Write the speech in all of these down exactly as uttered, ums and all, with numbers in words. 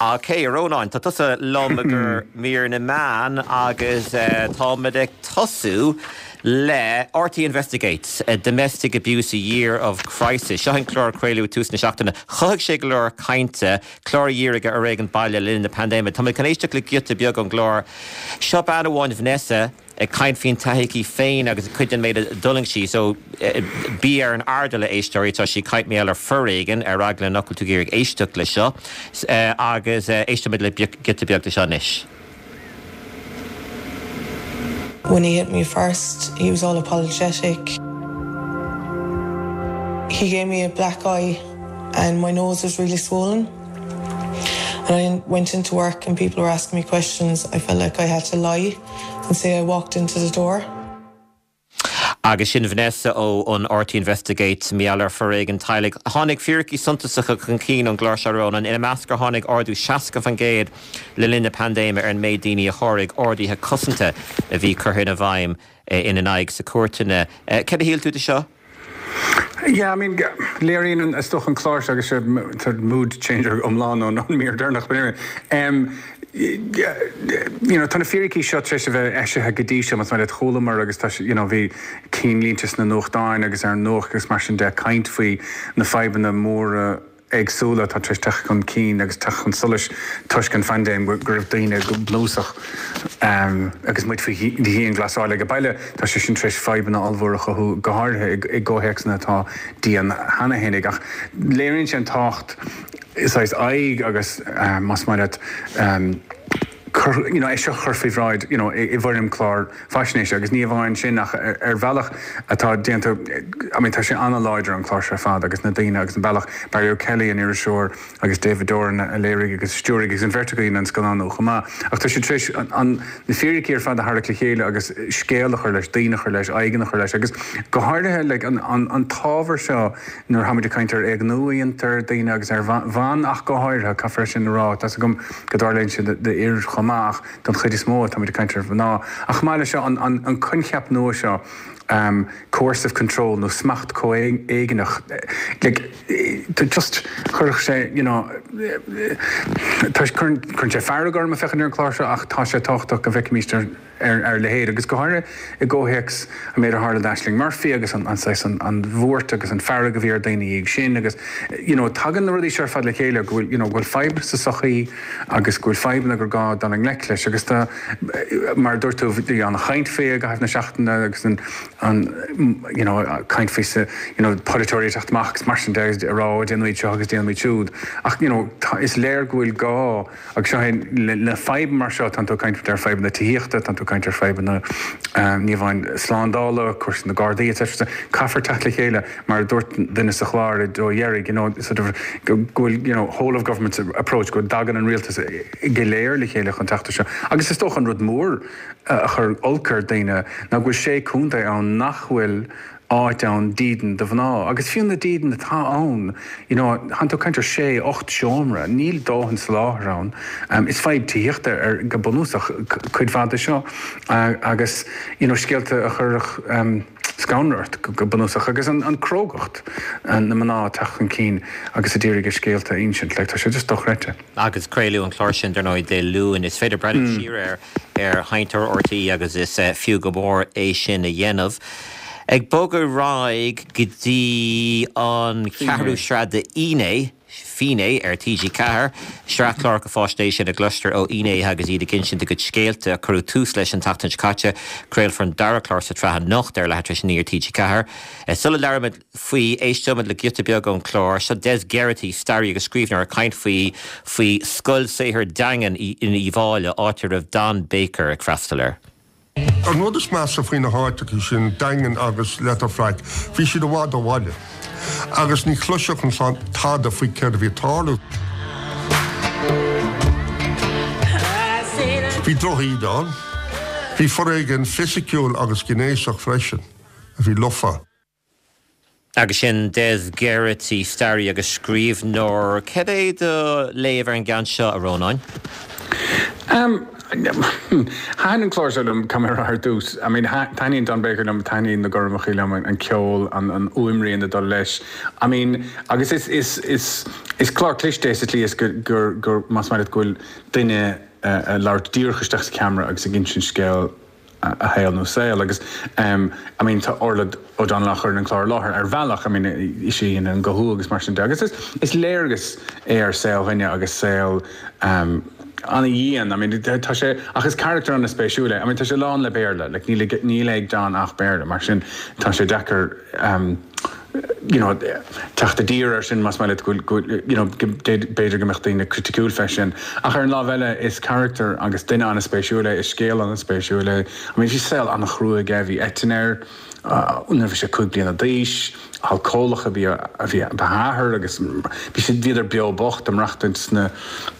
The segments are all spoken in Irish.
Ok, Rónán, tá tusa liom gur mír na meán agus uh, táimid ag tosú le RTÉ Investigates, a Domestic Abuse a Year of Crisis. Seo an clár craoladh tús na seachtaine. Chothaigh sé go leor cainte clár a dhírigh ar fhoréigean baile le linn na paindéime. Tá chun éisteacht le giota beag ón gclár. Seo bean amháin Vanessa ag caint faoin taithí féin agus cuid den méid a d'fhulaing sí, so bí ar an airdeall a éisteoirí tá sí caint mar gheall ar fhoréigean ar eagla nach bhfuil tú ag éisteacht le seo agus éistimid le giota beag de seo anois. When he hit me first, he was all apologetic. He gave me a black eye and my nose was really swollen. And I went into work and people were asking me questions. I felt like I had to lie and say I walked into the door. Agus sin Vanessa ó an RTÉ Investigates mar gheall ar fhoréigean teaghlaigh. Tháinig fíricí suntasacha chun cinn ón gclár seo Rónán ina measc gur tháinig ardú seasca faoin gcéad le linn na paindéime ar an méid daoine a sháraigh orduithe cosanta a bhí curtha i bhfeidhm ina n-aghaidh sna cúirteanna. Cad a shíl tú de seo? Yeah, I mean léiríonn is dócha an clár agus sé mood changer iomlán ón an mír deireanach um, you know, tá na fíricí seo tar éis a bheith eisithe go dtí seo mas le cholamar agus tá you know, bhí ceannlínte sna nuachtáin agus ar an nuacht agus mar sin de caint faoi na fadhbanna móra éagsúla tá tar éis teacht chun cinn agus teacht chun solais toisc an phaindéim go raibh daoine go bunúsach um, agus muid faoi dhianghlasáil ag baile tá sé sin tar éis fadhbanna ollmhóra a chothú go háirithe i gcomhthéacsanna atá dian cheana féin ach léiríonn sé an tábhacht is aghaidh agus um, más mar um, you know, é seo chur faoi bhráid you know, i bhfoirm clár faisnéise agus ní amháin sin ach ar, ar bhealach atá déanta I mean, tá sé an-láidir an clár seo fad agus na daoine agus an bealach Barry O'Kelly an iriseoir agus David Doran a léirigh agus stiúraigh agus an bheirt acu an scannán chomh maith. Ach tá sé tar éis an na fíricí ar fad a tharraingt le chéile agus scéal a chur leis daoine a chur leis aghaidh a chur leis agus go háirithe le an, an, an t-ábhar seo nuair táimid ag caint ar éigniú ar daoine agus ar bhan ach go háirithe caithfear sin rá tá gom go dtarlaíonn sé d'fhir chomh maith don chuid is mó tá ag caint ar mhná. Ach maith le seo an, an, an coincheap nua seo um, coercive control nó smacht comhéigneach like, just chuirfeadh sé you know, chuir sé fearg orm féachaint ar an chlár seo ach tá sé tábhachtach go bhfeicfimid ar ar ar leithéid agus go háirithe i gcomhthéacs an méid a tharla d'Ashling Murphy agus an an an, an bhuairt agus an fearg a bhí ar daoine ag sin agus you know, tagann na rudaí seo fad le chéile go bhfuil you know, bhfuil fadhb sa sochaí agus go bhfuil fadhbanna gur gá dul i ngleic leis agus tá mar dúirt tú bhí an chaint faoi i gcaitheamh na seachtaine agus an an you know, caint faoi sa you know, polaiteoirí teacht amach agus mar sin de rá déanfaimid seo agus déanfaimid siúd ach you know, tá, is léir go bhfuil gá agus seo le, le fadhb mar seo tá tú caint ar fadhbanna tithíochta tá tú caint ar fadhbanna um, ní amháin slándála cúrsaí na Gardaí etc. Caithfear teacht le chéile mar dúirt duine sa chlár ó dheireadh you know, sort of, go bhfuil you know, whole of government approach go dtagann an rialtas go léir le chéile chun teacht seo. Agus is dócha an rud mór a chur olc ar daoine ná go bhfuil sé chontae ann nach bhfuil áit ann dídean do mhná. Agus fiú na dídean atá ann you know, tá tú caint ar sé ocht seomra, níl dóthain soláthair ann. Um, is fadhb tithíochta ar go bunúsach cuid mhaith de seo uh, agus you know, scéalta a chuirfeadh um, scanradh ort go bunúsach agus an, an crógacht an na mná teacht chun cinn agus a d'iarraidh a scéalta a insint le tá sé just dochreidte. Agus craoladh an clár sin dar ndóigh Dé Luain is féidir breathnú mm. siar ar ar sheinnteoir RTÉ agus is uh, fiú go mór é sin a dhéanamh. Ag bogadh ar aghaidh go dtí an ceathrú sraith de Fhínné Fínné ar TG Ceathair, sraith cláracha faisnéise ina gcloistear ó fhinnéithe agus iad ag insint a gcuid scéalta a cuireadh tús leis an tseachtain seo caite craolfar an dara clár sa tsraith anocht ar leathuair tar éis a naoi ar TG Ceathair. Sula labhraímid faoi éisteoimid le giota beag ón chlár seo Des Geraghty staraí agus scríbhneoir ag caint faoi faoi scoil saothair Daingean in Uíbh Fhailí áit a raibh Don Baker ag freastal air. An rud is measa faoi na háiteacha sin Daingean agus Letterfrack, bhí siad i bhfad ó bhaile. Agus ní chloisfeadh an chlann tada faoi céard a bhí ag tarlú. Bhí drochíde ann, bhí foréigean fisiciúil agus gnéasach freisin, a bhí lofa. Agus sin Des Geraghty staraí agus scríbhneoir. Cad é do léamh ar an gceann seo a Rónáin? Um, Thaitin an clár seo liom cam ar dtús. I mean taitníonn Don Baker liom taitníonn na gormachaí liom an ceol an an fhuaimrian ag dul leis. I mean agus is is is is clár cliste é sa tslí is gur gur gur más maith leat go bhfuil duine ag labhairt díreach isteach sa ceamara agus ag insint scéal a shaol nó saol agus um, I mean tá Orla O'Donnell á chur an clár láthair ar bhealach I mean is í an guth agus mar sin de agus is, is léargas é ar saol dhuine agus saol um, an-dhian I mean tá sé ach is character an-spéisiúil é I mean tá sé lán le Béarla like níl níl ag Don ach Béarla mar sin tá sé deacair um, you know teacht i dtír ar sin más maith you know b'fhéidir go mbeadh daoine criticiúil fé sin ach ar an lámh eile is character agus duine an-spéisiúil é is scéal an-spéisiúil é I mean bhí saol an-chrua aige bhí eitinn air nuair bhí sé cúig bliana d'aois alcólach a bhí a bhí a athair agus bhí siad bhíodar beo bocht ag maireachtaint sna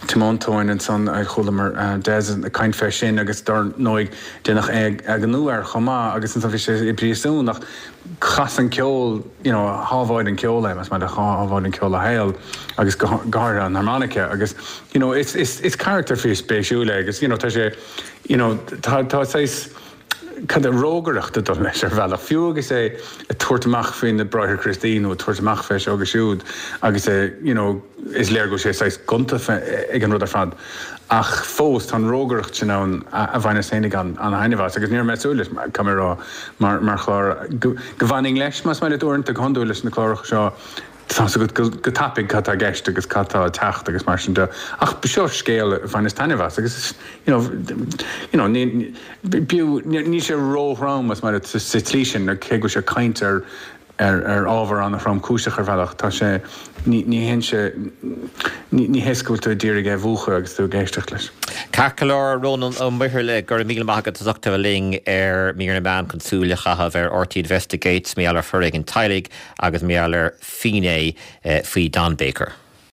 tiomantóin ansan a chualamar Des ag caint fé sin agus dar ndóigh déanadh éigniú air chomh maith agus ansan bhí sé i bpríosún ach chas an ceol you know shábháil an ceol é más maith shábháil an ceol a shaol agus go háirithe an harmonica agus you know is is is character fíorspéisiúil é agus you know tá sé you know tá tá saghas cad rógaireacht ag dul leis ar bhealach fiú agus é ag tabhairt amach faoi na Bráithre Críostaí nó tabhairt amach fé seo agus siúd agus é you know is léir go sé saghas gonta ag an rud ar fad. Ach fós tá an rógaireacht sin ann a bhaineas féinig an an-taitneamh as agus níor mé leis camerá mar mar chlár go bhfanfainn leis más maith leat uaireanta go hiondúil leis na cláracha seo tá go go tapaidh cad tá i gceist agus cad tá ag teacht agus mar sin de ach seo scéal a bhaineas taitneamh as agus you know you know ní ní sé róthrom más maith sa tslí sin cé go sé caint ar ar ar ábhar an-thromchúiseach ar bhealach tá sé ní ní hé sé ní hé go bhfuil tú díreach á mhúchadh agus tú ag éisteacht leis. Ceart go leor Rónán Ó Muirthile go raibh míle maith agat as ucht a bheith linn ar Mír na Meán chun súil a chaitheamh ar RTÉ Investigates mar gheall ar foréigean teaghlaigh agus mar gheall ar fínné faoi Don Baker.